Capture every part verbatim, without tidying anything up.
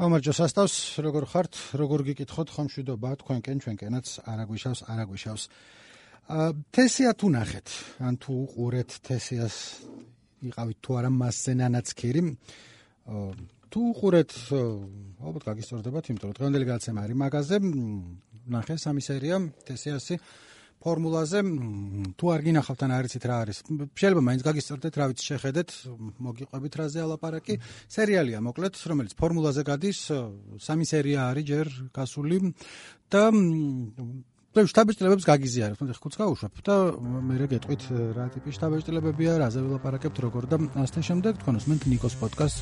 გამარჯოს ასტავს, როგორ ხართ, როგორ გიკითხოთ, ხომ მშვიდობა, თქვენკენ, ჩვენკენაც არაგვიშავს, არაგვიშავს. თესია თუ ნახეთ, ან თუ უყურეთ თესიას, იყავით თუ არა მასზე ნანაცქირი. თუ უყურეთ, ალბათ გაგისწორდებათ, იმიტომ რომ დღევანდელი გადაცემა არის მაგაზე, ნახე სამი სერია თესიასი ფორმულაზე, თუ არ გინახავთ ან არ იცით რა არის. შეიძლება მაინც გაგისწორდეთ, რა ვიცი შეხედეთ, მოგიყვებით რაზე ალაპარაკი. სერიალია მოკლედ, რომელიც ფორმულაზე გადის, სამი სერია არის ჯერ გასული და შთაბეჭდილებებს გაგიზიარებთ, მოდი ხუთს გავუშვებ და მე გეტყვით რა ტიპის შთაბეჭდილებებია, რაზე ვილაპარაკებთ, როგორ და ასე შემდეგ. თქვენ უსმენთ ნიკოს პოდკასტს,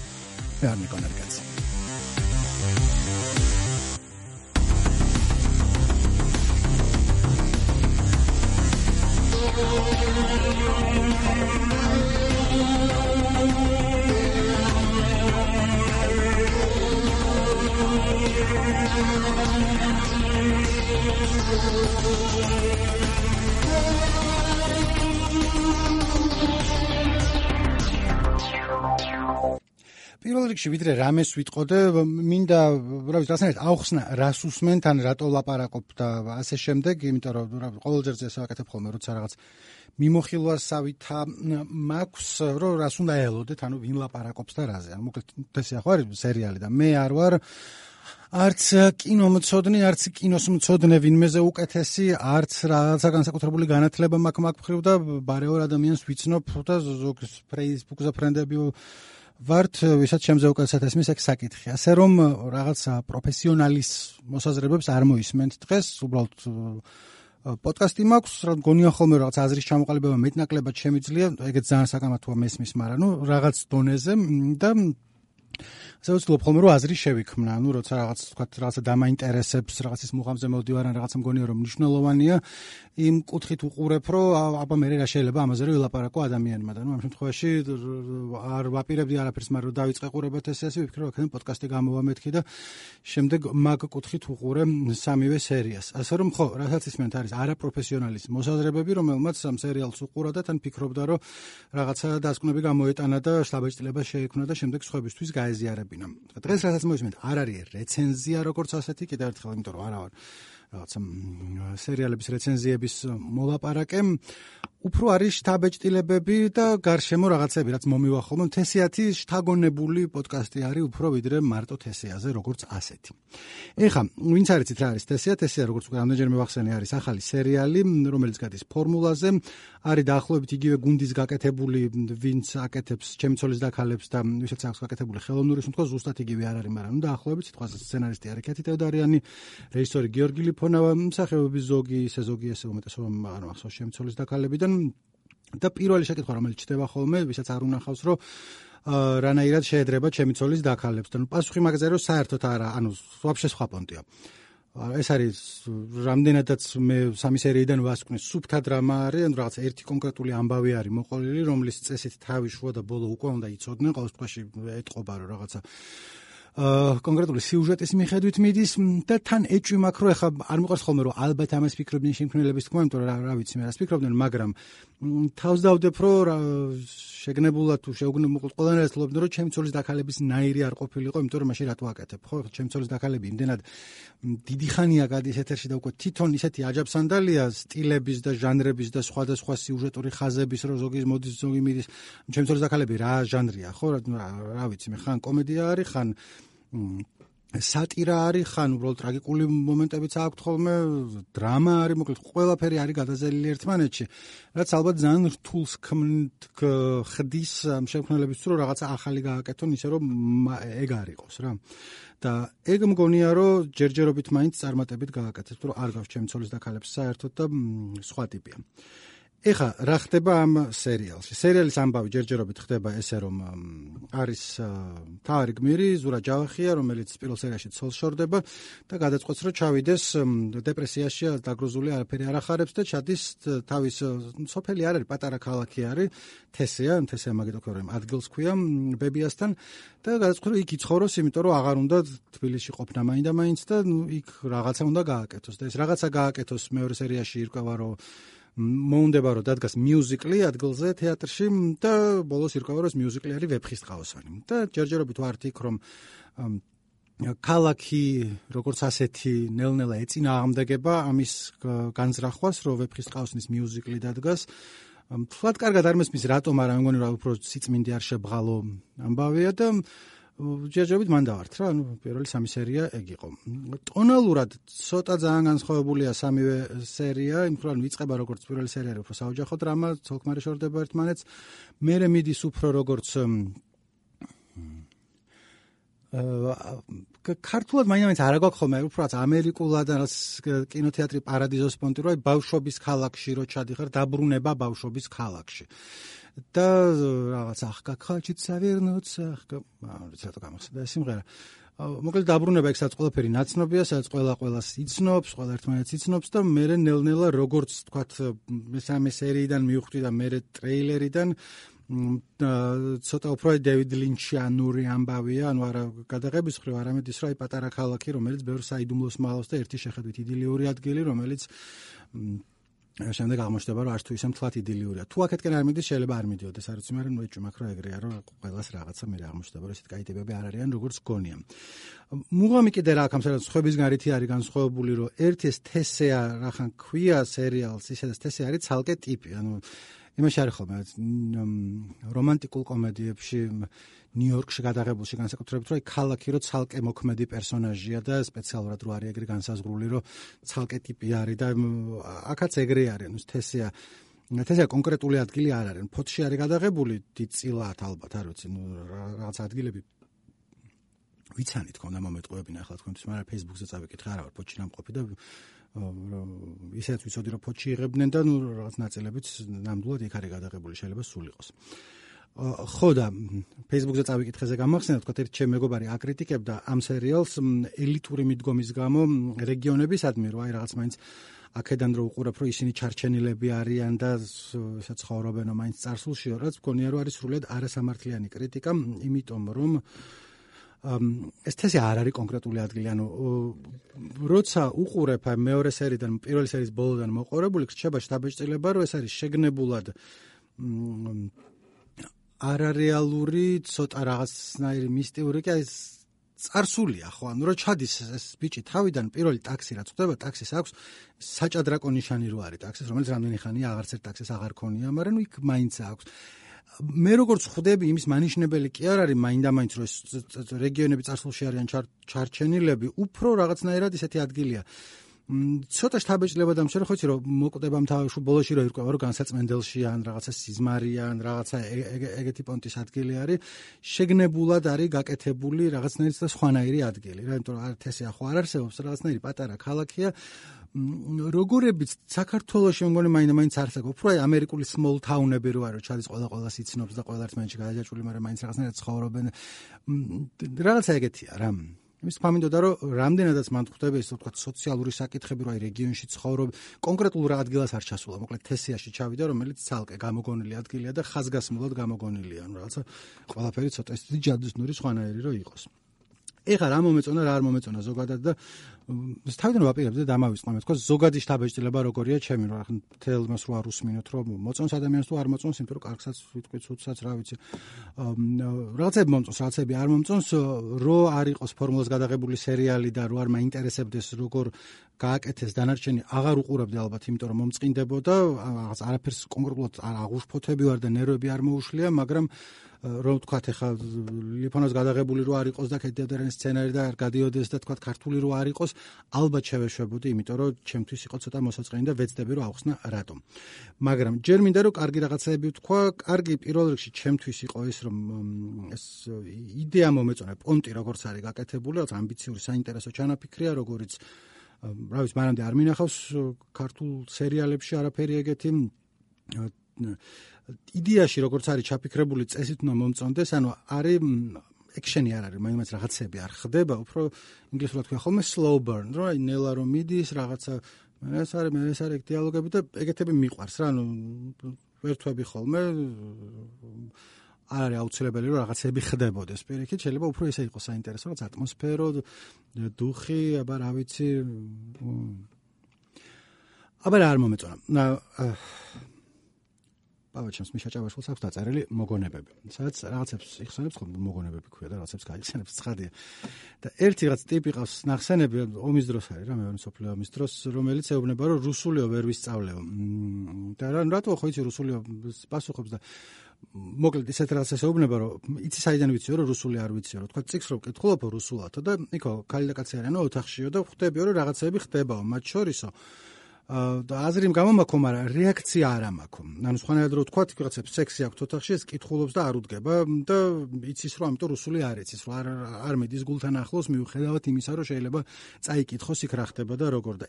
მე არ ნიკო ნარგაცი. პირველ რიგში ვიდრე რამეს ვიტყოდე, მინდა რა ვიცი, რასაერთოდ აუხსნა, რას უსმენთ, ან რატო ლაპარაკობ და ასე შემდეგ, იმიტომ რომ ყოველჯერ ეს ვაკეთებ ხოლმე, როცა რაღაც მიმოხილვასავითა მაქვს, რომ რას უნდა ელოდეთ, ანუ ვინ ლაპარაკობს და რაზე. ანუ მოკლედ თესია ხო არის სერიალი და მე არ ვარ არც კინომცოდნე, არც კინოსმცოდნე ვინმეზე უკეთესი, არც რაღაცა განსაკუთრებული განათლება მაქვს მაგ მხრივ და ბარეორ ადამიანს ვიცნობ და ზოგს Facebook-ზე ფრენდები ვართ, ვისაც შემზე უკეთესად ესმის ეგ საკითხი. ასე რომ რაღაცა პროფესიონალის მოსაზრებებს არ მოისმენთ დღეს, უბრალოდ პოდკასტი მაქვს, რა გონია ხოლმე რაღაც აზრის ჩამოყალიბება მეტნაკლებად შემიძლია, ეგეც ძალიან საკამათოა მესმის, მაგრამ ნუ რაღაც დონეზე და ასე ვცდილობ ხოლმე რომ აზრი შევიქმნა, ანუ როცა რაღაც თქვათ რაღაცა დამაინტერესებს, რაღაცის მუღამზე მოვდივარ ან რაღაცა მგონია რომ მნიშვნელოვანია, იმ კუთხით უყურებ, რომ აბა მე რა შეიძლება ამაზე რომ ვილაპარაკო ადამიანმა და ნუ ამ შემთხვევაში არ ვაპირებდი არაფერს, მაგრამ რომ დავიწყე ყურება თესიასი, ვიფიქრე რომ აქედან პოდკასტი გამოვამეთქი და შემდეგ მაგ კუთხით უყურე სამივე სერიას. ასე რომ ხო, რასაც ისმენთ არის არაპროფესიონალის მოსაზრებები, რომელმაც ამ სერიალს უყურა და თან ფიქრობდა რომ რაღაცა დასკვნები გამოეტანა და შთაბეჭდილება შეექმნა და შემდეგ სხვებისთვის გაეზიარებინა. დღეს რასაც მოისმენთ, არ არის რეცენზია როგორც ასეთი, კიდევ ერთხელ, იმიტომ რომ არა ვარ რაღაცა სერიალების რეცენზიების მოლაპარაკე, უფრო არის შთაბეჭდილებები და გარშემო რაღაცები, რაც მომივა ხოლმე. თესიათი შთაგონებული პოდკასტი არის უფრო ვიდრე მარტო თესიაზე, როგორც ასეთი. ეხლა, ვინც არ იცით რა არის თესია, თესია როგორც უკვე ამდენჯერ მევახსენე, არის ახალი სერიალი, რომელიც გადის ფორმულაზე, არის დაახლოებით იგივე გუნდის გაკეთებული, ვინც აკეთებს ჩემი ცოლის დაქალებს და ვისაც აქვს გაკეთებული ხელოვნური შემთხვევა, ზუსტად იგივე არ არის, მაგრამ დაახლოებით სიტყვაზე სცენარისტი არის კეთი თევდარიანი, რეჟისორი გიორგი ლიფონავა, მსახიობები ზოგი, ისე ზოგი, ესე უმეტესობა არ მახსოვს ჩემი ცოლის დაქალებიდან და პირველი შეკითხვა, რომელიც ჩდება ხოლმე, ვისაც არ უნახავს, რომ რანაირად შეედრება ჩემი ცოლის დაქალებს და ნუ პასუხი მაგაზე რომ საერთოდ არა, ანუ ვაფშე სხვა პონტია. ეს არის რამდენადაც მე სამი სერიიდან ვასკვნე, სუფთა დრამა არის, ანუ რაღაც ერთი კონკრეტული ამბავი არის მოყოლილი, რომლის წესით თავი შუა და ბოლო უკვე უნდა იცოდნენ, ყოველ შემთხვევაში ეტყობა რომ რაღაცა კონკრეტული სიუჟეტის მიხედვით მიდის და თან ეჭვი მაქვს, რომ ეხლა არ მიყვარს ხოლმე რომ ალბათ ამას ფიქრობდნენ შემქმნელების თქმა, იმიტომ რომ რა ვიცი მე რას ფიქრობდნენ, მაგრამ თავს დავდებ რომ შეგნებულად თუ შეუგნებულად ყველანაირად ვთქვი რომ ჩემი ცოლის დაქალების ნაირი არ ყოფილიყო, იმიტომ რომ მაშინ რატო აკეთებ, ხო? ჩემი ცოლის დაქალები იმდენად დიდი ხანია გადის ეთერში და უკვე თვითონ ისეთი აჯაბსანდალია სტილების და ჟანრების და სხვადასხვა სიუჟეტური ხაზების, რომ ზოგი მოდის, ზოგი მიდის. ჩემი ცოლის დაქალები რა ჟანრია, ხო? რა ვიცი მე, ხან კომედია არის, ხან სატირა არის, ხან უბრალოდ ტრაგიკული მომენტებიც აქვს ხოლმე, დრამა არის, მოკლედ ყველაფერი არის გადაზელილი ერთმანეთში, რაც ალბათ ძალიან რთულს ხდის ამ შემქმნელებს, რომ რაღაცა ახალი გააკეთონ, ისე რომ ეგ არ იყოს რა. და ეგ მგონია, რომ ჯერჯერობით მაინც წარმატებით გააკეთებს, რომ არ გავს ჩემი ცოლის დაქალებს საერთოდ და სხვა ტიპია. ეხლა რა ხდება ამ სერიალში? სერიალის ამბავი ჯერჯერობით ხდება ესე, რომ არის მთავარი გმირი ზურა ჯავახია, რომელიც პირველ სერიაში ცოლს შორდება და გადაწყვეტს, რომ ჩავიდეს დეპრესიაში, დაგროზული არაფერი არ ახარებს და ჩადის თავის სოფელი არ არის, პატარა ქალაქი არის, თესია, თესია მაგითო ქვია, რომ ადგილს ქვია ბებიასთან და გადაწყვეტს, რომ იქ იცხოვროს, იმიტომ რომ აღარ უნდა თბილისში ყოფნა მაინდა მაინც და იქ რაღაცა უნდა გააკეთოს და ეს რაღაცა გააკეთოს მეორე სერიაში ირკვევა, რომ მოუნდება რომ დადგას მიუზიკლი ადგილზე თეატრში და ბოლოს ირკვევა რომ ეს მიუზიკლი არის ვეფხისტყაოსანი და ჯერჯერობით ვართ იქ რომ ქალაქი როგორც ასეთი ნელ-ნელა ეწინააღმდეგება ამის განზრახვას, რომ ვეფხისტყაოსნის მიუზიკლი დადგას. Თქვათ, კარგად არ მესმის რატომ არა, მე მგონი რა უფრო სიწმინდე არ შებღალო ამბავია და ჯერჯერობით მან დავართ რა, ანუ პირველი სამი სერია ეგ იყო. ტონალურად ცოტა ძალიან განსხვავებულია სამივე სერია, იმ ხრივ ვიწყება როგორც პირველი სერია, უფრო საოჯახო დრამა, ცოლ-ქმარი შორდება ერთმანეთს, მერე მიდის უფრო როგორც ქართულად მაინც არ აგვაქვს ხოლმე, უბრალოდ ამერიკულად რაც კინოთეატრი პარადიზოს პონტი რო ბავშვობის ქალაქში რო ჩადიხარ, დაბრუნება ბავშვობის ქალაქში. და რაღაც ახკა ხალჩით სავერნოც ახკა ცოტა გამახსენდა ეს სიმღერა. მოკლედ დაბრუნება იქ სადაც ყველაფერი ნაცნობია, სადაც ყველა ყველას იცნობს, ყველა ერთმანეთს იცნობს და მერე ნელ-ნელა როგორც თქვათ მესამე სერიიდან მივხვდი და მერე ტრეილერიდან ცოტა უფრო დევიდ ლინჩიანური ამბავია, ანუ არა გადაღების ხრივ, არამედ ის რა პატარა ქალაქი, რომელიც ბევრ საიდუმლოს მალავს და ერთი შეხედვით იდილიური ადგილი, რომელიც შემდეგ აღმოჩნდება, რომ არც თუ ისე მთლად იდილიურია. თუ აქეთკენ არ მიდის, შეიძლება არ მიდიოდეს, არ ვიცი, მაგრამ ნუ ეჭვმაქ რა ეგრეა, რომ ყველას რაღაცა მე აღმოჩნდება, რომ ესეთ კაი ტიპები არ არიან, როგორც გონია. მუღამი კიდე რა აქ ამ სერიალს ხვების გარითი არის განსხვავებული, რომ ერთი ეს თესეა რახან ქვია სერიალს, ისედაც თესე არის ცალკე ტიპი, ანუ იმაში არის ხოლმე რომანტიკულ კომედიებში ნიუ-იორკში გადაღებულში განსაკუთრებით რომ ქალაქი რო ცალკე მოქმედი პერსონაჟია და სპეციალურად რო არის ეგრე განსაზღვრული რომ ცალკე ტიპი არის და აქაც ეგრე არის ანუ თესია თესია კონკრეტული ადგილი არ არის ფოთში არის გადაღებული დიდწილად ალბათ არ ვიცი ნუ რაღაც ადგილები ვიცანით ქონდა მომეტყუებინა ახლა თქვენთვის მაგრამ Facebook-ზე წავიკითხე არა ვარ ფოთში ნამყოფი და ისეც ვიცოდი რომ ფოთში იღებდნენ და ნუ რაღაც ნაწილებიც ნამდვილად იქ არის გადაღებული შეიძლება სულ იყოს. ხო და Facebook-ზე წავიკითხეზე გამახსენდა თქვა ერთ ჩემ მეგობარი აკრიტიკებდა ამ სერიალს ელიტური მიდგომის გამო რეგიონებისადმი რომ აი რაღაც მაინც აქედან რო უყურებ რომ ისინი ჩარჩენილები არიან და ესე ცხოვრობენ მაინც წარსულში რაც მგონია რომ არის სრულიად არასამართლიანი კრიტიკა იმიტომ რომ ეს თესე არ არის კონკრეტული ადგილი, ანუ როცა უყურებ მეორე სერიიდან პირველი სერიის ბოლოდან მოყოლებული, რჩება შთაბეჭდილება, რომ ეს არის შეგნებულად არარეალური, ცოტა რაღაცნაირი მისტიური, კი ეს წარსულია ხო, ანუ რო ჩადის ეს ბიჭი თავიდან პირველი ტაქსი რაც ხდება, ტაქსის აქვს საჭადრაკო ნიშანი რო არის ტაქსის, რომელიც რამდენი ხანია აღარც ერთ ტაქსის აღარ ქონია, მაგრამ ნუ იქ მაინც აქვს. მე როგორც ხვდები იმის მანიშნებელი კი არ არის მაინდა-მაინც რომ რეგიონები წარსულში არიან ჩარჩენილები, უფრო რაღაცნაირად ისეთი ადგილია. ცოტა შთაბეჭდილება დამშერე ხო იცი რომ მოკვდება მთავარში ბოლოში რომ ირკვევა რომ განსაცმენდელში ან რაღაცა სიზმარია ან რაღაცა ეგეთი პონტის ადგილი არის, შეგნებულად არის გაკეთებული რაღაცნაირი და სხვანაირი ადგილი. რა იმიტომ რომ არ თესე ახო არ არსებობს, რაღაცნაირი პატარა ქალაქია. როგორებიც საქართველოში მგონი მაინდა-მაინც არსებობს. უფრო აი ამერიკული small town-ები რო არის, ჩადის ყველა ყველას იცნობს და ყველა ერთმანეთში გადაჯაჭვული, მაგრამ მაინც რაღაცნაირად ცხოვრობენ. რაღაცა ეგეთია რა. იმის ფამინდოდა რომ რამდენადაც მან ხვდება ის თქვა სოციალური საკითხები რო აი რეგიონში ცხოვრობ, კონკრეტულ რა ადგილას არ ჩასულა, მოკლედ თესიაში ჩავიდა, რომელიც ცალკე გამოგონილი ადგილია და ხაზგასმულად გამოგონილია. ანუ რაღაცა ყველაფერი ცოტა ისეთი ჯადოსნური სხვანაირი რო იყოს. ეხლა რა მომეწონა, რა არ მომეწონა ზოგადად და თავიდან ვაპირებდი და დამავიწყო მე თქვა ზოგადი შთაბეჭდილება როგორია ჩემი რა ხან თელ მას რო არ უსმინოთ რომ მოწონს ადამიანს თუ არ მოწონს იმიტომ რომ კარგსაც ვიტყვი ცუდსაც რა ვიცი რაღაცები მომწონს რაღაცები არ მომწონს რო არ იყოს ფორმულას გადაღებული სერიალი და რო არ მაინტერესებდეს როგორ გააკეთეს დანარჩენი აღარ უყურებდი ალბათ იმიტომ რომ მომწყინდებოდა რაღაც არაფერს კონკრეტულად არ აღუშფოთები ვარ და ნერვები არ მოუშლია მაგრამ რომ თქვათ ეხლა ლიფონოს გადაღებული რო არ იყოს და კედერენ სცენარი და არ გადიოდეს და თქვათ ქართული რო არ იყოს ალბათ შევეშვებოდი იმიტომ რომ ჩემთვის იყო ცოტა მოსაწყენი და ვეცდები რომ ავხსნა რატომ მაგრამ ჯერ მინდა რომ კარგი რაღაცაები ვთქვა კარგი პირველ რიგში ჩემთვის იყო ის რომ ეს იდეა მომეწონა პონტი როგორც არის გაკეთებული რაღაც ამბიციური საინტერესო ჩანაფიქრია როგორიც რა ვიცი მანამდე არ მინახავს ქართულ სერიალებში არაფერი ეგეთი იდეაში როგორც არის ჩაფიქრებული წესით უნდა მომწონდეს, ანუ არის ექშენი არ არის, მაინც რაღაცები არ ხდება, უფრო ინგლისურად ქვია ხოლმე slow burn, რა ნელა რომ მიდის, რაღაცა ეს არის, მე ეს არის დიალოგები და ეგეთები მიყვარს რა, ანუ ვერთვები ხოლმე არ არის აუცილებელი რომ რაღაცები ხდებოდეს. პირიქით შეიძლება უფრო ესე იყოს საინტერესო, რაღაც ატმოსფერო, დუხი, აბა რა ვიცი. აბა რა არ მომეწონა. ყავა ჩემს მიშა ჭავაშვილს აქვს დაწერილი მოგონებები. სადაც რაღაცებს იხსენებს ხოლმე მოგონებები ქვია და რაღაცებს გაიხსენებს ცხადია. და ერთი რაღაც ტიპი ყავს ნახსენები ომის დროს არის რა მეორე მსოფლიო ომის დროს, რომელიც ეუბნება რომ რუსულიო ვერ ვისწავლეო. და რა რატო ხო იცი რუსულიო პასუხობს და მოკლედ ისეთ რაღაცას ეუბნება რომ იცი საიდან ვიციო რომ რუსული არ ვიციო რომ თქვა წიგს რომ კითხულობო რუსულათო და იქო ქალი და კაცი არიანო ოთახშიო და ხვდებიო რომ რაღაცები ხდებაო მათ შორისო და აზრი გამომაქო, მაგრამ რეაქცია არ ამაქო. ანუ სხვანაირად რო თქვა, ვიღაცებს სექსი აქვს ოთახში, ეს კითხულობს და არ უდგება და იცის რომ ამიტომ რუსული არ იცის, რომ არ არ მედის გულთან ახლოს მიუხედავად იმისა, რომ შეიძლება წაიკითხოს იქ რა ხდება და როგორ და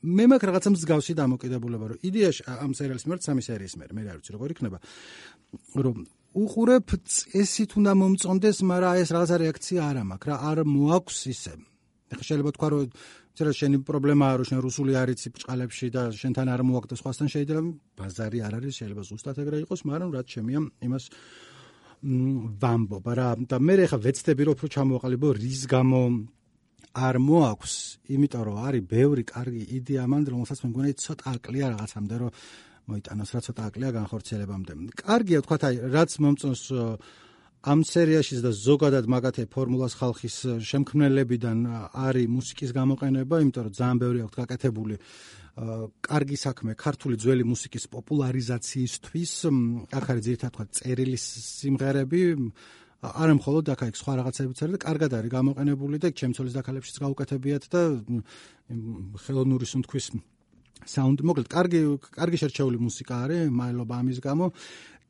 მე მაქვს რაღაცა მსგავსი დამოკიდებულება, რომ იდეაში ამ სერიალის მიერ სამი სერიის მიერ მე არ ვიცი როგორ იქნება, რომ უყურებ წესით უნდა მომწონდეს, მაგრამ ეს რაღაცა რეაქცია არ ამაქვს, რა არ მოაქვს ისე. ეხლა შეიძლება თქვა რომ წერა შენი პრობლემაა რომ შენ რუსული არ იცი ბჭყალებში და შენთან არ მოაქვს სხვასთან შეიძლება ბაზარი არ არის შეიძლება ზუსტად ეგრე იყოს მაგრამ რაც შემია იმას ვამბობ რა და მე ეხლა ვეცდები რომ უფრო ჩამოვაყალიბო რის გამო არ მოაქვს იმიტომ რომ არის ბევრი კარგი იდეა მანდ რომელსაც მე მგონია ცოტა აკლია რაღაცამდე რომ მოიტანოს რა ცოტა აკლია განხორციელებამდე კარგია თქვა აი რაც მომწონს ამ სერიაშიც და ზოგადად მაგათი ფორმულას ხალხის შემქმნელებიდან არის მუსიკის გამოყენება, იმიტომ რომ ძალიან ბევრი აქვს გაკეთებული კარგი საქმე ქართული ძველი მუსიკის პოპულარიზაციისთვის. აქ არის ძირითადად თქვა წერილი სიმღერები, არა მხოლოდ აქ აქვს სხვა რაღაცებიც არის და კარგად არის გამოყენებული და ჩემცოლის დაქალებშიც გაუკეთებიათ და ხელოვნური სუნთქვის საუნდი მოკლედ კარგი კარგი შერჩეული მუსიკა არის, მადლობა ამის გამო.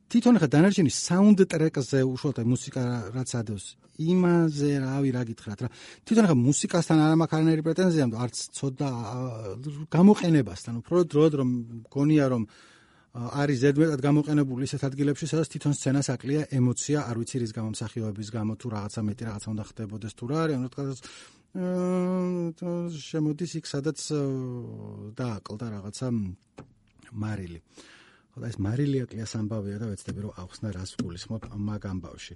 თვითონ ხა დანარჩენი საუნდ ტრეკზე უშუალოდ მუსიკა რაც ადევს იმაზე რავი რა გითხრათ რა თვითონ ხა მუსიკასთან არ მაქვს არანაირი პრეტენზია არც ცოტა გამოყენებასთან უფრო დროდ რომ გონია რომ არის ზედმეტად გამოყენებული ისეთ ადგილებში სადაც თვითონ სცენას აკლია ემოცია არ ვიცი რის გამო მსახიობების გამო თუ რაღაცა მეტი რაღაცა უნდა ხდებოდეს თუ რა არის ანუ თქვა შემოდის იქ სადაც დააკლდა რაღაცა მარილი და ეს მარილი აკლია სამბავია და ვეცდები რომ ახსნა რას გულისხმობ მაგ ამბავში.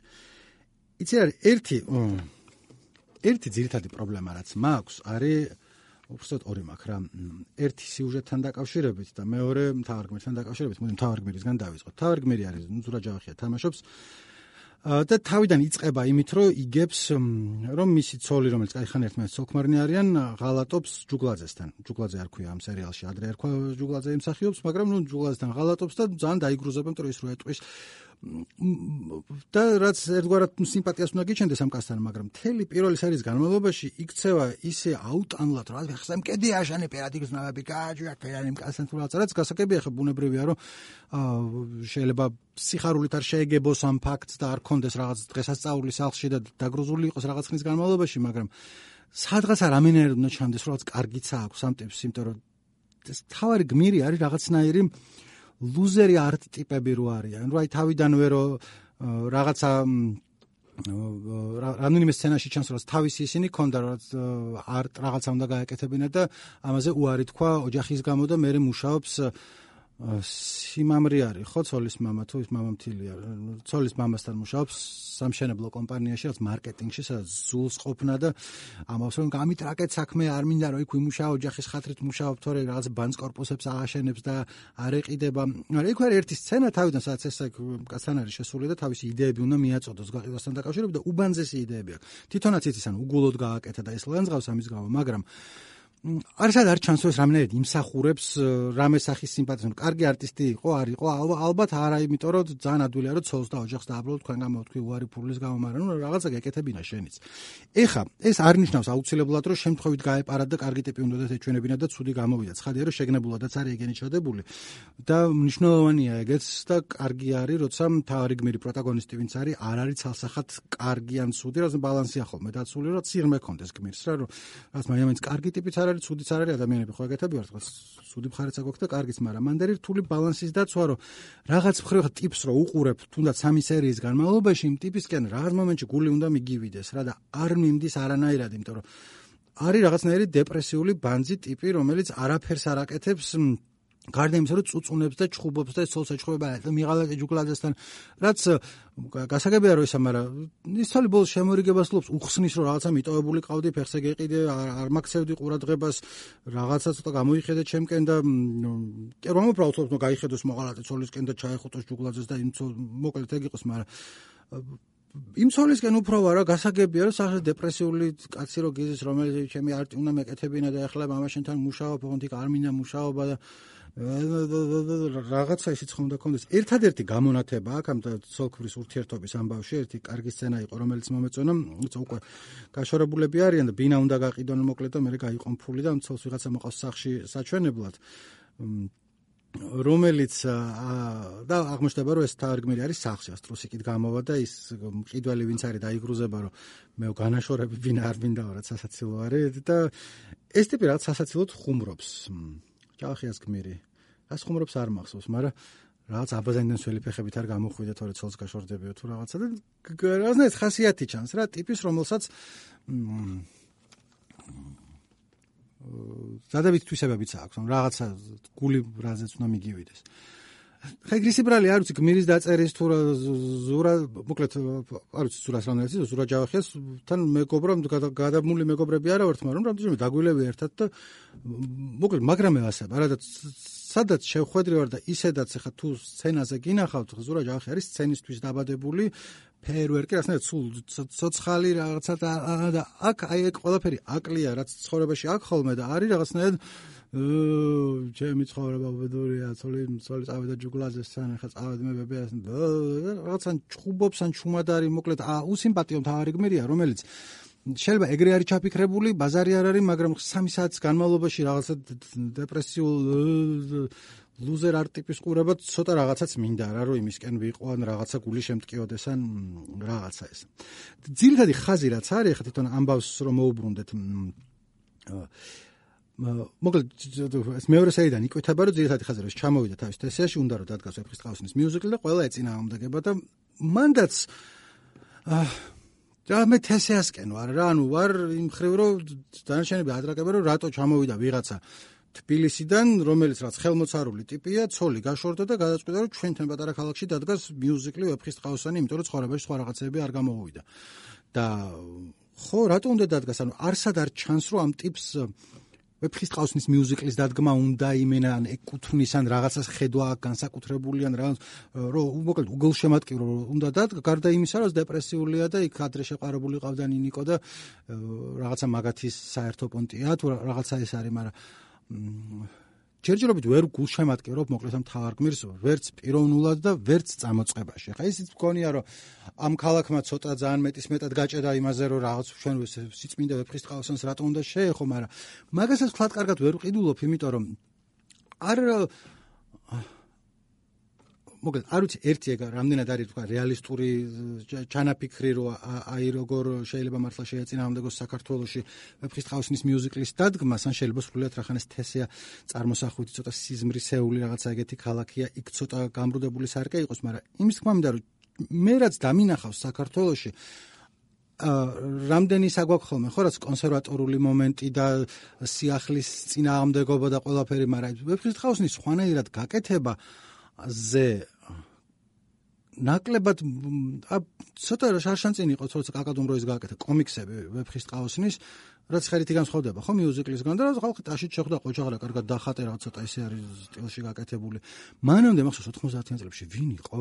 იცი არის ერთი ერთი ძირითადი პრობლემა რაც მაქვს არის უბრალოდ ორი მაქვს რა. ერთი სიუჟეტთან დაკავშირებით და მეორე მთავარ გმირთან დაკავშირებით. მოდი მთავარ გმირისგან დავიწყოთ. მთავარ გმირი არის ზურა ჯავახია თამაშობს და თავიდან იწყება იმით რომ იგებს რომ მისი ცოლი რომელიც კაიხან ერთმანეთს ცოლქმარნი არიან ღალატობს ჯუგლაძესთან. ჯუგლაძე არ ქვია ამ სერიალში ადრე ერქვა ჯუგლაძე იმსახიობს მაგრამ ნუ ჯუგლაძესთან ღალატობს და ძალიან დაიგრუზება იმიტომ რომ ის რო ეტყვის და რაც ერთგვარად სიმპათიას უნდა გიჩენდეს ამ კაცთან მაგრამ მთელი პირველი სერიის განმავლობაში იქცევა ისე აუტანლად რა ხსა მკედი აშანე პერადიგმები გააჯვია ფერანი კაცთან თუ რაღაც რაც გასაგებია ხა ბუნებრივია რომ შეიძლება სიხარულით არ შეეგებოს ამ ფაქტს და არ კონდეს რაღაც დღესასწაულის სახლში და დაგრუზული იყოს რაღაც ხნის განმავლობაში მაგრამ სადღაც რამენერად უნდა ჩანდეს რომ რაღაც კარგიცა აქვს ამ ტიპს იმიტომ რომ ეს თავარი გმირი არის რაღაცნაირი ლუზერი არტ ტიპები რო არიან. რა თავიდანვე რო რაღაცა რამოდენიმე სცენაში ჩანს რომ თავისი ისინი ქონდა რომ არტ რაღაცა უნდა გააკეთებინა და ამაზე უარი თქვა ოჯახის გამო და მე მუშაობს სიმამრი არის ხო ცოლის მამა თუ ის მამამთილია ცოლის მამასთან მუშაობს სამშენებლო კომპანიაში რაც მარკეტინგში სადაც ზულს ყოფნა და ამავს რომ გამით რაკეთ საქმე არ მინდა რომ იქ ვიმუშაო ოჯახის ხათრით მუშაობ თორე რაღაც ბანკს კორპუსებს აღაშენებს და არ ეყიდება მაგრამ იქ არის ერთი სცენა თავიდან სადაც ეს კაცთან არის შესული და თავისი იდეები უნდა მიაწოდოს გაყიდვასთან დაკავშირებით და უბანძესი იდეები აქვს თვითონაც იცის ანუ უგულოდ გააკეთა და ეს ლანძღავს ამის გამო მაგრამ არ სადარ ჩანს რომ ეს რამენერად იმსახურებს რამე სახის სიმპათიას. კარგი არტისტი იყო, არ იყო, ალბათ არა, იმიტომ რომ ძალიან ადვილია რომ ცოლს და ოჯახს დააბრალოთ თქვენ გამოვთქვი უარი ფულის გამო, მაგრამ ნუ რაღაცა გეკეთებინა შენიც. ეხა ეს არ ნიშნავს აუცილებლად რომ შემთხვევით გაეპარათ და კარგი ტიპი უნდათ ეჩვენებინა და ცუდი გამოვიდა. ცხადია რომ შეგნებულადაც არის ეგენი ჩადებული და მნიშვნელოვანია ეგეც და კარგი არის როცა მთავარი გმირი პროტაგონისტი ვინც არის არ არის ცალსახად კარგი ან ცუდი, რა ბალანსია ხოლმე დაცული რომ სიღრმე კონდეს გმირს რა რომ რაც მაინც კარგი ტიპიც არის ცუდიც არ არის ადამიანები ხო ეგეთები ვართ ხო ცუდი მხარეც აგვაქვს და კარგიც მაგრამ მანდ არის რთული ბალანსის დაცვა რომ რაღაც მხრივ ტიპს რო უყურებ თუნდაც სამი სერიის განმავლობაში იმ ტიპისკენ რაღაც მომენტში გული უნდა მიგივიდეს რა და არ მიმდის არანაირად იმიტომ რომ არის რაღაცნაირი დეპრესიული ბანძი ტიპი რომელიც არაფერს არ აკეთებს გარდა იმისა, რომ წუწუნებს და ჩხუბობს და ცოლს ეჩხუბება მიღალატე ჯუკლაძესთან, რაც გასაგებია რომ ისა, მაგრამ ის თვალი ბოლოს შემორიგებას ლობს, უხსნის რომ რაღაცა მიტოვებული ყავდი, ფეხზე გეყიდე, არ მაგცევდი ყურადღებას, რაღაცა ცოტა გამოიხედე ჩემკენ და კი რომ უბრალოდ თქოს, რომ გაიხედოს მოღალატე ცოლისკენ და ჩაეხუტოს ჯუკლაძეს და იმ მოკლედ ეგ იყოს, მაგრამ იმ ცოლისკენ უფრო ვარა გასაგებია რომ სახე დეპრესიული კაცი რო გიზის, რომელიც ჩემი არტი უნდა მეკეთებინა და ახლა მამაშენთან მუშაობ, ოღონდ იქ არ მინდა მუშაობა და რაღაცა ისიც ხომ და კონდეს. ერთადერთი გამონათება აქ ამ ცოლ-ქმრის ურთიერთობის ამბავში, ერთი კარგი სცენა იყო, რომელიც მომეწონა, უკვე გაშორებულები არიან და ბინა უნდა გაყიდონ მოკლედ და მე გაიყონ ფული და ცოლს ვიღაცა მოყავს სახში საჩვენებლად. რომელიც და აღმოჩნდება რომ ეს თარგმნილი არის სახში, ასტროსიკით გამოვა და ის მყიდველი ვინც არის დაიგრუზება რომ მე განაშორები ბინა არ მინდაო რაც სასაცილო არის და ეს ტიპი რაღაც სასაცილოდ ხუმრობს. ჯავახიას გმირი. რას ხუმრობს არ მახსოვს, მაგრამ რაღაც აბაზანიდან სველი ფეხებით არ გამოხვიდე თორე ცოლს გაშორდებიო თუ რაღაცა და რაღაცნაირად ხასიათი ჩანს რა ტიპის რომელსაც ზადებით თვისებებიც აქვს, რომ რაღაცა გული რაზეც უნდა მიგივიდეს. ხა ეგრისი ბრალი არ ვიცი გმირის დაწერის თუ ზურა მოკლედ არ ვიცი ზურას რა ნაიცი ზურა ჯავახიას თან მეგობრა გადამული მეგობრები არა ვართ, მაგრამ რამდენიმე დაგვილები ერთად და მოკლედ მაგრამე ასება რა და სადაც შევხვედრი ვარ და ისედაც ხა თუ სცენაზე გინახავთ ზურა ჯავახი არის სცენისთვის დაბადებული ფეერვერკი რაღაცნაირად სულ ცოცხალი რაღაცა და აქ აი ეგ ყველაფერი აკლია რაც ცხოვრებაში აქ ხოლმე და არის რაღაცნაირად ჩემი ცხოვრება უბედურია, ცოლი ცოლი წავიდა ჯუკლაძესთან, ხა წავედი მე ბებიას რაღაცან ჩხუბობს ან ჩუმად არის, მოკლედ უსიმპათიო მთავარი გმირია, რომელიც შეიძლება ეგრე არის ჩაფიქრებული, ბაზარი არ არის, მაგრამ სამი საათის განმავლობაში რაღაცა დეპრესიულ ლუზერ არტ ტიპის ყურება ცოტა რაღაცაც მინდა რა, რომ იმისკენ ვიყო ან რაღაცა გული შემტკიოდეს ან რაღაცა ეს. ძირითადი ხაზი რაც არის, ხა თვითონ ამბავს რომ მოუბრუნდეთ მოკლედ ეს მეორე სერიდან იკვეთება რომ ძირითადი ხაზი რომ ჩამოვიდა თავის თესიაში უნდა რომ დადგას ვეფხის ტყავსნის მიუზიკლი და ყველა ეწინააღმდეგება და მანდაც და მე თესეასკენ ვარ რა ანუ ვარ იმ ხრივ რომ დანარჩენები ადრაკებენ რომ რატო ჩამოვიდა ვიღაცა თბილისიდან რომელიც რაც ხელმოცარული ტიპია ცოლი გაშორდა და გადაწყვიტა რომ ჩვენთან პატარა ქალაქში დადგას მიუზიკლი ვეფხის ტყავსანი იმიტომ რომ ცხოვრებაში სხვა რაღაცები არ გამოვიდა და ხო რატო უნდა დადგას ანუ არსად არ ჩანს რომ ამ ტიპს ვეფხის ტყავსნის მიუზიკლის დადგმა უნდა იმენა ან ეკუთვნის ან რაღაცას ხედვა განსაკუთრებული ან რაღაც რომ მოკლედ უგულშემატკივრო უნდა დადგა გარდა იმისა რომ დეპრესიულია და იქ ადრე შეყარებული ყავდა ნინიკო და რაღაცა მაგათის საერთო პონტია თუ რაღაცა ეს არის მაგრამ ჯერჯერობით ვერ გულშემატკივრობ მოკლედ ამ თავარ გმირს ვერც პიროვნულად და ვერც წამოწყებაში. ხა ისიც მგონია რომ ამ ქალაქმა ცოტა ძალიან მეტის მეტად გაჭედა იმაზე რომ რაღაც ჩვენ სიწმინდა ვეფხის ტყავსანს რატო უნდა შეეხო, მაგრამ მაგასაც ვთქვათ კარგად ვერ ვყიდულობ, იმიტომ რომ არ მოკლედ არ ვიცი ერთი ეგ რამდენად არის თქვა რეალისტური ჩანაფიქრი რომ აი როგორ შეიძლება მართლა შეეწინააღმდეგოს საქართველოში ვეფხის ტყავსნის მიუზიკლის დადგმას ან შეიძლება სრულიად რახანეს თესეა წარმოსახვით ცოტა სიზმრისეული რაღაცა ეგეთი ქალაქია იქ ცოტა გამრუდებული სარკე იყოს, მაგრამ იმის თქმა მინდა რომ მე რაც დამინახავს საქართველოში რამდენი საგვაქვს ხოლმე ხო რაც კონსერვატორული მომენტი და სიახლის წინააღმდეგობა და ყველაფერი, მაგრამ ვეფხის ტყავსნის ხვანაირად გაკეთება ზე ნაკლებად ცოტა შარშანწინი იყო ცოტა კაკადუმროის გააკეთა კომიქსები ვეფხის ტყავსნის რაც ხელითი განსხვავდება ხო მიუზიკლისგან და რაც ხალხი ტაშით შეხვდა ყოჩაღრა კარგად დახატე რა ცოტა ესე არის სტილში გაკეთებული. მანამდე მახსოვს ოთხმოცდაათიან წლებში ვინ იყო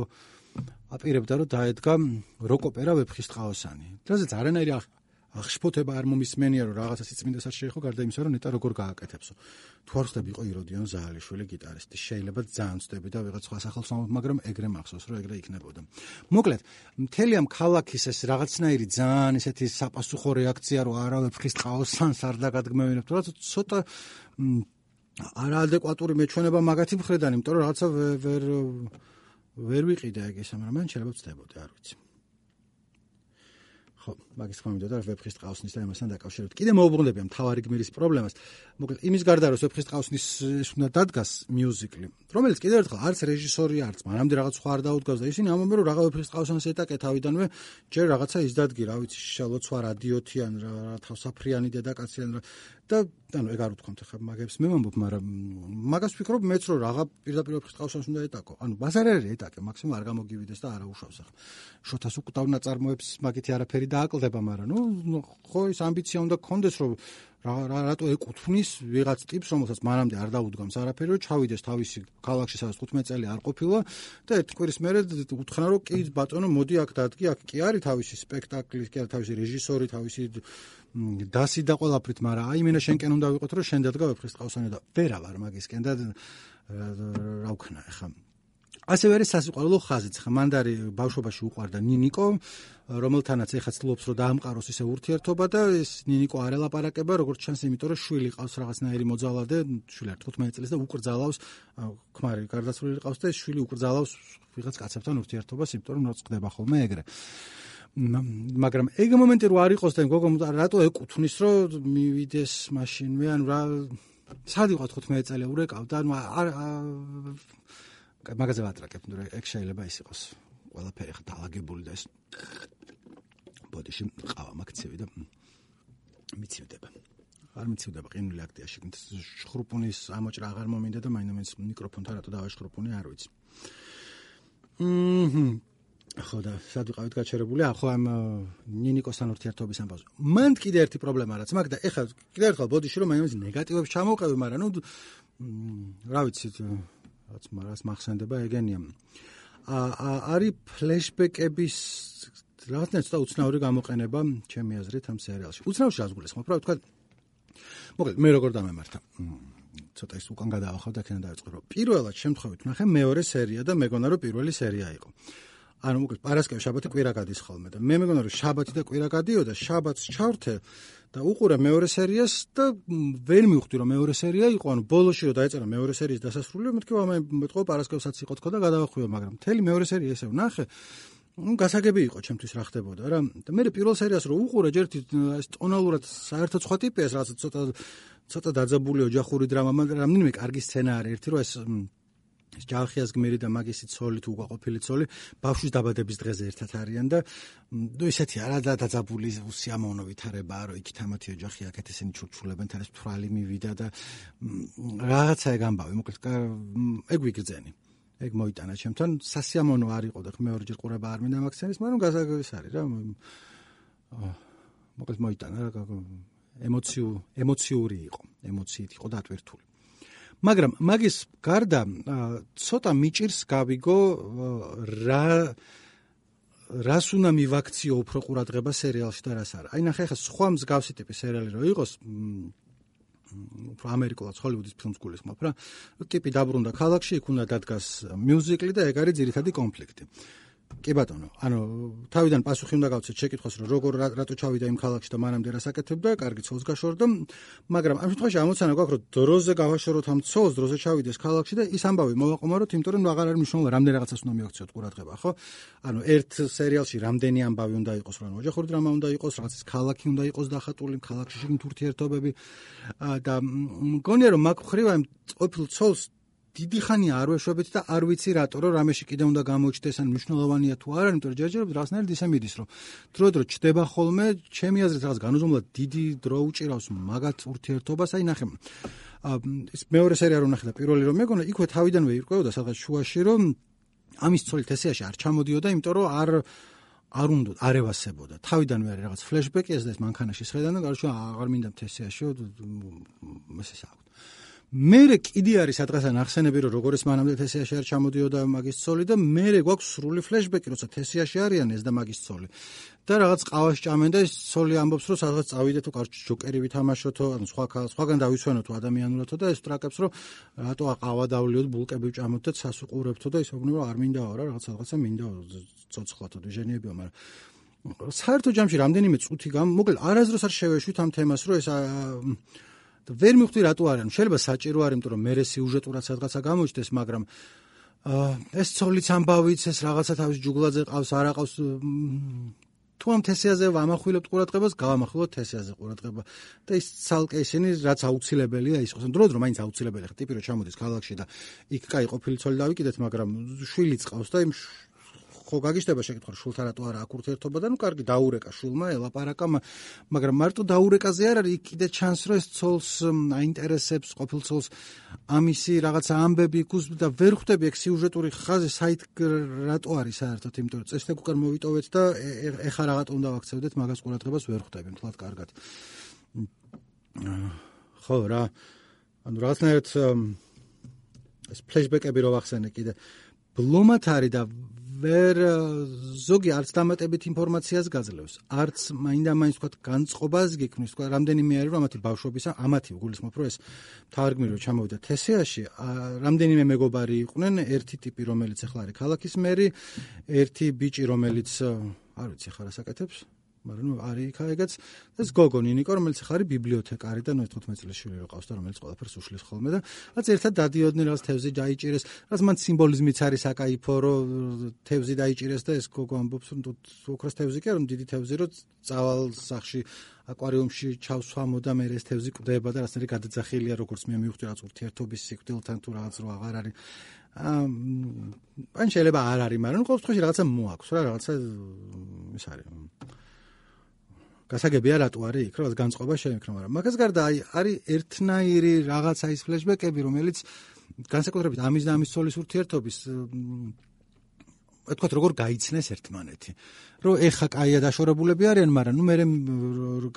აპირებდა რომ დაედგა როკოპერა ვეფხის ტყავსანი. რაზეც არანაირი აღშფოთება არ მომისმენია რომ რაღაცა სიწმინდეს არ შეეხო გარდა იმისა რომ ნეტა როგორ გააკეთებსო. თუ არ ხდები იყო იროდიონ ზაალიშვილი გიტარისტი, შეიძლება ძალიან ვწდები და ვიღაც სხვა სახელს ვამბობ, მაგრამ ეგრე მახსოვს რომ ეგრე იქნებოდა. მოკლედ, მთელი ამ ქალაქის ეს რაღაცნაირი ძალიან ესეთი საპასუხო რეაქცია რომ არა ვეფხის ტყავსანს არ დაგადგმევინებთ, რაც ცოტა არაადეკვატური მეჩვენება მაგათი მხრიდან, იმიტომ რომ რაღაცა ვერ ვერ ვიყიდა ეგ ეს, მაგრამ მან შეიძლება ვწდებოდი, არ ვიცი. ხო, მაგის თქმა მინდოდა ვეფხისტ ყავსნის და იმასთან დაკავშირებით. კიდე მოუბრუნდები ამ თავარი გმირის პრობლემას. მოკლედ იმის გარდა რომ ვეფხისტ ყავსნის უნდა დადგას მიუზიკლი, რომელიც კიდევ ერთხელ არც რეჟისორი არც მანამდე რაღაც სხვა არ დაუდგას და ისინი ამბობენ რომ რაღა ვეფხისტ ყავსანს ეტაკე თავიდანვე ჯერ რაღაცა ისდადგი, რა ვიცი, შალოცვა რადიოთიან რა თავსაფრიანი დედაკაციან და ანუ ეგ არ უთქვამთ ხა მაგებს მე ვამბობ, მაგრამ მაგას ვფიქრობ მეც რომ რაღა პირდაპირ ვეფხისტ ყავსანს უნდა ეტაკო. ანუ მას არ არის ეტაკე, მაქსიმუმ არ გამოგივიდეს და არა უშავს ახლა. შოთას უკდავ ნაწარმოებს მაგითი არაფერი დააკლდება, მაგრამ ნუ ხო ის ამბიცია უნდა გქონდეს რომ რა რატო ეკუთვნის ვიღაც ტიპს, რომელსაც მანამდე არ დაუდგამს არაფერი, რომ ჩავიდეს თავისი ქალაქში, სადაც თხუთმეტი წელი არ ყოფილა და ერთი კვირის მერე უთხრა რომ კი ბატონო მოდი აქ დადგი, აქ კი არის თავისი სპექტაკლი, კი არის თავისი რეჟისორი, თავისი დასი და ყველაფრით, მაგრამ აი მენა შენკენ უნდა ვიყოთ რომ შენ დადგა ვეფხისტ ყავსანი და ვერა ვარ მაგისკენ და რა ვქნა ახლა. ასევე არის სასიყვარულო ხაზიც, ხა მანდარი ბავშვობაში უყვარდა ნინიკო, რომელთანაც ეხა ცდილობს რომ დაამყაროს ისე ურთიერთობა და ეს ნინიკო არ ელაპარაკება, როგორც ჩანს, იმიტომ რომ შვილი ყავს რაღაცნაირი მოძალადე, შვილი არის თხუთმეტი წლის და უკრძალავს, ქმარი გარდაცვლილი ყავს და ეს შვილი უკრძალავს ვიღაც კაცებთან ურთიერთობას, იმიტომ რომ მოწყდება ხოლმე ეგრე. მაგრამ ეგ მომენტი რო არ იყოს და გოგო რატო ეკუთვნის რომ მივიდეს მაშინვე, ანუ რა სად იყო თხუთმეტი წელი ურეკავდა, ანუ არ მაგაზე ვატრაკებ, ნუ ეგ შეიძლება ის იყოს ყველაფერი ხა დაალაგებული და ეს ბოდიში ყავა მაგცევი და მიცივდება. არ მიცივდება ყინული აქტია შეგნით შხრუპუნის ამოჭრა აღარ მომინდა და მაინც მიკროფონთან რატო დავაშხრუპუნი არ ვიცი. მმ ხო და სად ვიყავით გაჩერებული? ახო ამ ნინიკოსთან ურთიერთობის ამბავს. მან კიდე ერთი პრობლემა რაც მაგ და ეხლა კიდე ერთხელ ბოდიში რომ მაინც ნეგატივებს ჩამოვყევი, მაგრამ ნუ რა ვიცი რაც მას მახსენდება ეგენია. არის ფლეშბეკების რაღაცნაირად ცოტა უცნაური გამოყენება ჩემი აზრით ამ სერიალში. უცნაურში რასგულისხმობ, რა ვთქვა. მოკლედ მე როგორ დამემართა. ცოტა ის უკან გადავახავ და ქენა დავიწყო რომ პირველად შემთხვევით ნახე მეორე სერია და მეგონა რომ პირველი სერია იყო. ანუ მოკლედ პარასკევი შაბათი კვირა გადის ხოლმე და მე მეგონა რომ შაბათი და კვირა გადიოდა, შაბათს ჩავრთე და უყურე მეორე სერიას და ვერ მივხვდი რომ მეორე სერია იყო, ანუ ბოლოში რომ დაეწერა მეორე სერიის დასასრული, მეთქი ვამე მეტყო პარასკევსაც იყო თქო და გადავახვიო, მაგრამ მთელი მეორე სერია ესე ვნახე. ნუ გასაგები იყო ჩემთვის რა ხდებოდა რა. და მე პირველ სერიას რომ უყურე, ჯერ ეს ტონალურად საერთოდ სხვა ტიპია, რაღაც ცოტა ცოტა დაძაბული ოჯახური დრამა, მაგრამ რამდენიმე კარგი სცენა არის, ერთი რომ ეს ეს ჯალხიას გმირი და მაგისი ცოლი თუ უყოფილი ცოლი ბავშვის დაბადების დღეზე ერთად არიან და ნუ ისეთი არა და დაძაბული უსიამოვნო ვითარებაა რომ იქით ამათი ოჯახი აქეთ ესენი ჩურჩულებენ, თან ეს თვრალი მივიდა და რაღაცა ეგ ამბავი, მოკლედ ეგ ვიგრძენი. ეგ მოიტანა ჩემთან, სასიამოვნო არ იყო და მეორეჯერ ყურება არ მინდა მაგ სცენის, მაგრამ გასაგებიც არის რა. მოკლედ მოიტანა რა, ემოციურ ემოციური იყო, ემოციით იყო დატვირთული. მაგრამ მაგის გარდა ცოტა მიჭირს გავიგო რა რას უნდა მივაქციო უფრო ყურადღება სერიალში და რას არა. აი ნახე ახლა სხვა მსგავსი ტიპის სერიალი რო იყოს, უფრო ამერიკულად ჰოლივუდის ფილმს გულისხმობ რა. ტიპი დაბრუნდა ქალაქში, იქ უნდა დადგას მიუზიკლი და ეგ არის ძირითადი კონფლიქტი. კი ბატონო, ანუ თავიდან პასუხი უნდა გავცეთ შეკითხვას, რომ როგორ რატო ჩავიდა იმ ქალაქში და მანამდე რას აკეთებდა, კარგი ცოლს გაშორდა, მაგრამ ამ შემთხვევაში ამოცანა გვაქვს, რომ დროზე გავაშოროთ ამ ცოლს, დროზე ჩავიდეს ქალაქში და ის ამბავი მოვაყომაროთ, იმიტომ რომ აღარ არის მნიშვნელოვანი, რამდენი რაღაცას უნდა მივაქციოთ ყურადღება, ხო? ანუ ერთ სერიალში რამდენი ამბავი უნდა იყოს, რომ ოჯახური დრამა უნდა იყოს, რაღაცის ქალაქი უნდა იყოს დახატული, ქალაქში შეგნით ურთიერთობები და მგონია რომ მაგ ხრივ ამ ყოფილ ცოლს დიდი ხანია არ ვეშვებით და არ ვიცი რატო რომ რამეში კიდე უნდა გამოჩდეს, ან მნიშვნელოვანია თუ არა, იმიტომ რომ ჯერჯერობით რაღაცნაირად ისე მიდის, რომ დრო-დრო ჩდება ხოლმე, ჩემი აზრით რაღაც განუზომლად დიდი დრო უჭირავს მაგათ ურთიერთობას. აი ნახე, ის მეორე სერია რომ ნახე და პირველი რომ მეგონა, იქვე თავიდანვე ირკვეოდა სადღაც შუაში, რომ ამის ცოლი თესიაში არ ჩამოდიოდა, იმიტომ რომ არ არ უნდა არ ევასებოდა. თავიდანვე არის რაღაც ფლეშბეკი, ეს და ეს მანქანაში სხედან და გარშვა აღარ მინდა თესიაში, ესე საუბრობ. მერე კიდე არის სადღაცან ახსენები რომ როგორ ეს მანამდე თესიაში არ ჩამოდიოდა მაგის ცოლი და მერე გვაქვს სრული ფლეშბეკი, როცა თესიაში არიან ეს და მაგის ცოლი. და რაღაც ყავას ჭამენ და ეს ცოლი ამბობს რომ სადღაც წავიდე თუ კარჩ ჯოკერი ვითამაშოთო, ანუ სხვა სხვაგან დავიცვენოთო ადამიანურათო და ეს ტრაკებს რომ რატო ყავა დავლიოთ, ბულკები ვჭამოთ და ცას უყურებთო და ისე უგნებო არ მინდაო რა, რაღაც რაღაცა მინდაო ცოცხლათო დეჟენიებიო, მაგრამ საერთო ჯამში რამდენიმე წუთი გამ, მოკლედ არაზროს არ შევეშვით ამ თემას, რომ ეს ვერ მივხვდი რატო არ არის. შეიძლება საჭირო არის, იმიტომ რომ მე სიუჟეტურად სადღაცა გამოჩნდეს, მაგრამ ეს ცოლიც ამბავიც, ეს რაღაცა თავის ჯუგლაძე ყავს, არ აყავს, თუ ამ თესეაზე ვამახვილებთ ყურადღებას, გავამახვილოთ თესეაზე ყურადღება და ის ცალკე ისინი რაც აუცილებელია ის ხოს. დროდ რომ მაინც აუცილებელი ხა ტიპი რომ ჩამოდის ქალაქში და იქ კაი ყოფილი ცოლი დავიკიდეთ, მაგრამ შვილი წყავს და იმ ხო გაგიშდება შეკითხვა შულთან რატო არა აქ ურთიერთობა და ნუ კარგი დაურეკა შულმა ელაპარაკა, მაგრამ მარტო დაურეკაზე არ არის, იქ კიდე ჩანს რომ ეს ცოლს აინტერესებს ყოფილ ცოლს ამისი რაღაცა ამბები გუს და ვერ ხვდები ეგ სიუჟეტური ხაზი საით რატო არის საერთოდ, იმიტომ რომ წესდ უკან მოვიტოვეთ და ეხა რაღაცა უნდა ვაქცევდეთ, მაგას ყურადღებას ვერ ხვდები მთლად კარგად. ხო რა, ანუ რაღაცნაირად ეს ფლეშბეკები რო ვახსენე კიდე ბლომად არის და ვერ ზოგი არც დამატებით ინფორმაციას გაძლევს, არც მაინდა-მაინც თქვა განწყობას გიქმნის, თქვა რამდენიმე არის რომ ამათი ბავშვობისა, ამათი გულისხმობ რომ ეს მთავარგმირი რომ ჩამოვიდა თესეაში, რამდენიმე მეგობარი იყვნენ, ერთი ტიპი რომელიც ახლა არის ქალაქის მერი, ერთი ბიჭი რომელიც არ ვიცი ხარ ასაკეთებს, მაგრამ ნუ არის იქა ეგაც, ეს გოგო ნინიკო რომელიც ახლა არის ბიბლიოთეკარი და ნუ თხუთმეტ წლის შვილი ყავს და რომელიც ყველაფერს უშლის ხოლმე და რაც ერთად დადიოდნენ, რაც თევზი დაიჭირეს, რაც მან სიმბოლიზმიც არის აკაიფო რომ თევზი დაიჭირეს და ეს გოგო ამბობს რომ ოქროს თევზი კი არ, რომ დიდი თევზი რომ წავალ სახში აკვარიუმში ჩავსვამო და მე ეს თევზი კვდება და რაღაცნაირი გადაძახილია როგორც მე მივხვდი რაღაც ურთიერთობის სიკვდილთან თუ რაღაც რო აღარ არის. ან შეიძლება არ არის, მაგრამ ყოველ შემთხვევაში რაღაცა მოაქვს რა, რაღაცა ის არის. გასაგებია რატო არის იქ, რაღაც განწყობა შეიმქნა, მაგრამ მაგას გარდა აი არის ერთნაირი რაღაცა ის ფლეშბეკები, რომელიც განსაკუთრებით ამის და ამის ცოლის ურთიერთობის თქვათ როგორ გაიცნეს ერთმანეთი. რომ ეხა კაია დაშორებულები არიან, მაგრამ ნუ მე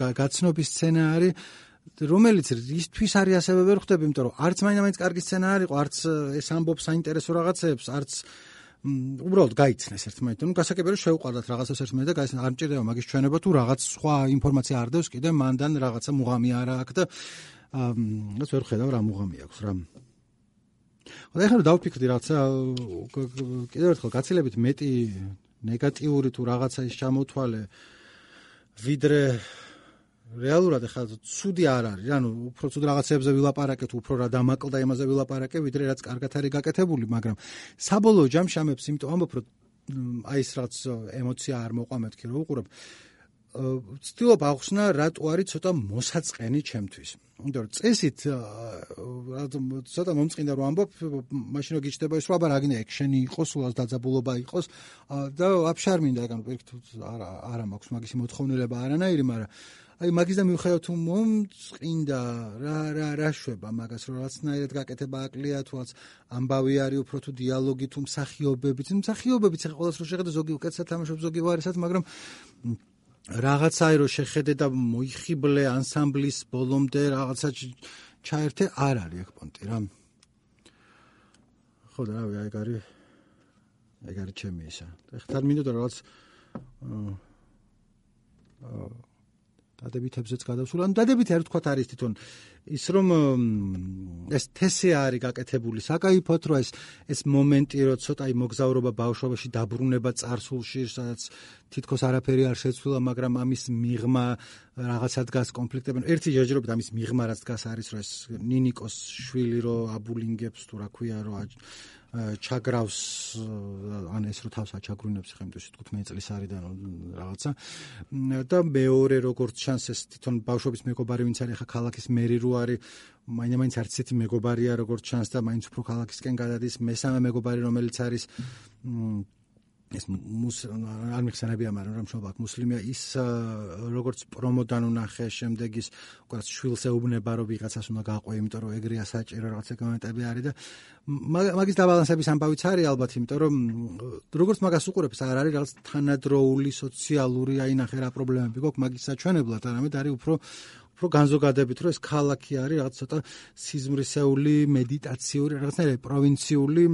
გაცნობის სცენა არის, რომელიც ისთვის არის ასევე ვერ ხვდები, იმიტომ რომ არც მაინდა-მაინც კარგი სცენა არ იყო, არც ეს ამბობს საინტერესო რაღაცეებს, არც უბრალოდ გაიცნეს ერთმანეთთან. ნუ გასაგებია რომ შევყვარდათ რაღაცას ერთმანეთს და გაიცნეს, არ მჭირდება მაგის ჩვენება თუ რაღაც სხვა ინფორმაცია არ დევს კიდე მანდან რაღაცა მუღამი არა აქვს და რაც ვერ ხედავ რა მუღამი აქვს რა. ხო და ეხლა რომ დავფიქრდი რაღაცა კიდევ ერთხელ გაცილებით მეტი ნეგატიური თუ რაღაცა ის ჩამოთვალე ვიდრე რეალურად ეხლა ცუდი არ არის, ანუ უფრო ცუდ რაღაცებზე ვილაპარაკეთ, უფრო რა დამაკლდა იმაზე ვილაპარაკე, ვიდრე რაც კარგად არის გაკეთებული, მაგრამ საბოლოო ჯამში ამებს იმიტომ ამბობ, რომ აი ეს რაც ემოცია არ მოყვა მეთქი რომ უყურებ. ვცდილობ ახსნა რატო არის ცოტა მოსაწყენი ჩემთვის. იმიტომ რომ წესით ცოტა მომწყინდა რომ ამბობ, მაშინ რომ გიჩნდება ის რომ აბა რა გინდა ექშენი იყოს, სულაც დაძაბულობა იყოს და აფშარ მინდა ეგ ანუ პირიქით არა არა მაქვს მაგისი მოთხოვნილება არანაირი, მაგრამ აი მაგის და მივხვდით თუ მომწყინდა რა რა რა შვება მაგას რომ რაღაცნაირად გაკეთება აკლია თუ რაც ამბავი არის უფრო თუ დიალოგი თუ მსახიობებიც მსახიობებიც ახლა ყოველს რო შეხედე ზოგი უკეთესად თამაშობს ზოგი ვარისაც, მაგრამ რაღაცაი რო შეხედე და მოიხიბლე ანსამბლის ბოლომდე რაღაცა ჩაერთე არ არის ეგ პონტი რა. ხო და რავი ეგ არის ეგ არის ჩემი ისა. ეხლა მინდოდა რაღაც დადებითებზეც გადავსულ. ანუ დადებითი არ ვთქვათ არის თვითონ ის რომ ეს თესე არის გაკეთებული საკაიფოდ, რომ ეს ეს მომენტი რომ ცოტა აი მოგზაურობა ბავშვობაში დაბრუნება წარსულში, სადაც თითქოს არაფერი არ შეცვლილა, მაგრამ ამის მიღმა რაღაცა დგას კონფლიქტები. ერთი ჯერჯერობით ამის მიღმა რაც დგას არის რომ ეს ნინიკოს შვილი რო აბულინგებს თუ რა ქვია რო ჩაგრავს ან ეს რო თავს აჩაგრუნებს ხა იმიტომ თხუთმეტ წლის არის და რაღაცა და მეორე როგორც ჩანს ეს თვითონ ბავშვობის მეგობარი ვინც არის ხა ქალაქის მერი რო არის მაინდა-მაინც არც ისეთი მეგობარია როგორც ჩანს და მაინც უფრო ქალაქისკენ გადადის მესამე მეგობარი რომელიც არის ეს არ მიხსენებია, მაგრამ რა მშობა აქვს მუსლიმია ის როგორც პრომოდან უნახე შემდეგ ის უკაც შვილს ეუბნება რომ ვიღაცას უნდა გაყვე, იმიტომ რომ ეგრეა საჭირო რაღაცა კომენტები არის და მაგის დაბალანსების ამბავიც არის ალბათ, იმიტომ რომ როგორც მაგას უყურებს არ არის რაღაც თანადროული სოციალური აი ნახე რა პრობლემები გვაქვს მაგის საჩვენებლად, არამედ არის უფრო უფრო განზოგადებით რომ ეს ქალაქი არის რაღაც ცოტა სიზმრისეული მედიტაციური რაღაცნაირი პროვინციული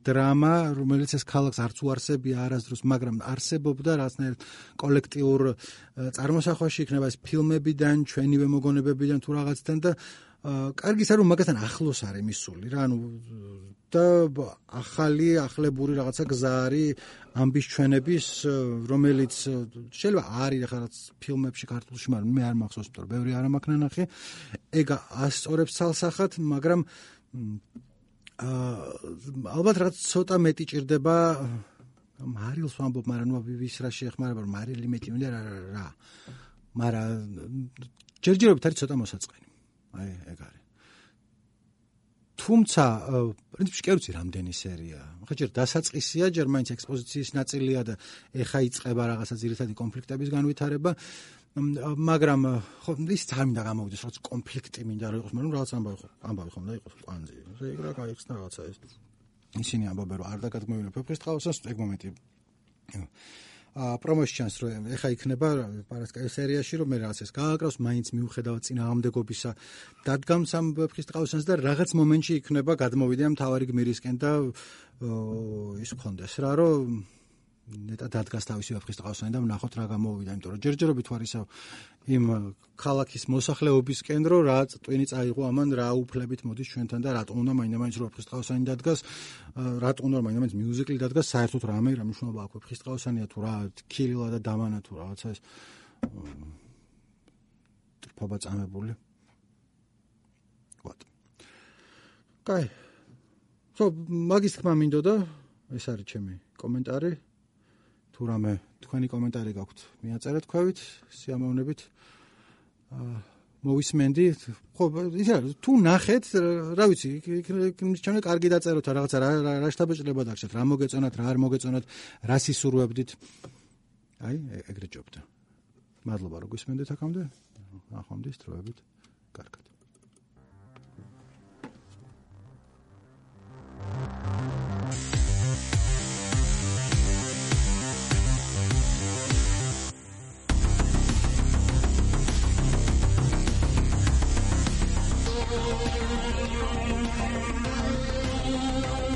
დრამა, რომელიც ეს ქალაქს არც უარსებია არასდროს, მაგრამ არსებობდა რაღაცნაირ კოლექტიურ წარმოსახვაში იქნება ეს ფილმებიდან, ჩვენივე მოგონებებიდან თუ რაღაცთან და კარგი ის არის რომ მაგასთან ახლოს არის მისული რა, ანუ და ახალი ახლებური რაღაცა გზა არის ამბის ჩვენების, რომელიც შეიძლება არის ახლა რაც ფილმებში ქართულში, მაგრამ მე არ მახსოვს, იმიტომ რომ ბევრი არ მაქვს ნანახი. ეგ ასწორებს ცალსახად, მაგრამ ალბათ რაღაც ცოტა მეტი ჭირდება მარილს ვამბობ, მაგრამ ნუ ვის რა შეეხმარება, რომ მარილი მეტი მინდა რა რა. მაგრამ ჯერჯერობით არის ცოტა მოსაწყენი. აი, ეგ არის. თუმცა, პრინციპში კი არ ვიცი რამდენი სერია. ხა ჯერ დასაწყისია, ჯერ მაინც ექსპოზიციის ნაწილია და ეხა იწყება რაღაცა ძირითადი კონფლიქტების განვითარება. მაგრამ ხო ის არ მინდა გამოვიდეს, როგორც კონფლიქტი მინდა რომ იყოს, მაგრამ რაღაც ამბავი ხო, ამბავი ხომ და იყოს კვანძი. ეგ რა გაიხსნა რაღაცა ეს. ისინი ამბობენ რომ არ დაგადგმევინა ფეფხისტყაოსანს, ეგ მომენტი. აა პრომოში ჩანს რომ ეხა იქნება პარასკევი სერიაში რომ მე რაღაც ეს გააკრავს, მაინც მიუხედავად წინააღმდეგობისა დადგამს ამ ფეფხისტყაოსანს და რაღაც მომენტში იქნება გადმოვიდა მთავარი გმირისკენ და ის ხონდეს რა რომ ნეტა დადგას თავისი ფეფხისტყაოსანი და ვნახოთ რა გამოვიდა, იმიტომ რომ ჯერჯერობით ვარ ისევ იმ ქალაქის მოსახლეობისკენ რომ რა ტვინი წაიღო ამან რა უფლებით მოდის ჩვენთან და რატომ უნდა მაინდა-მაინც რო ფეფხისტყაოსანი დადგას, რატომ უნდა მაინდა-მაინც მიუზიკლი დადგას, საერთოდ რამე რა მნიშვნელობა აქვს ფეფხისტყაოსანია თუ რა ქილილა და დამანა თუ რაღაცა ეს ტრფობა წამებული. ვატ. კაი. ხო, მაგის თქმა მინდოდა, ეს არის ჩემი კომენტარი. თუ რამე თქვენი კომენტარი გაქვთ, მიაწერეთ ქვევით, სიამოვნებით. აა მოვისმენდი. ხო, ისა თუ ნახეთ, რა ვიცი, ჩვენ კარგი დაწეროთ რაღაცა რა შთაბეჭდილება დაგჭირთ, რა მოგეწონათ, რა არ მოგეწონათ, რა სისურვებდით. აი, ეგრე ჯობდა. მადლობა რომ გვისმენდით აქამდე. ნახვამდის დროებით. კარგად. We'll be right back.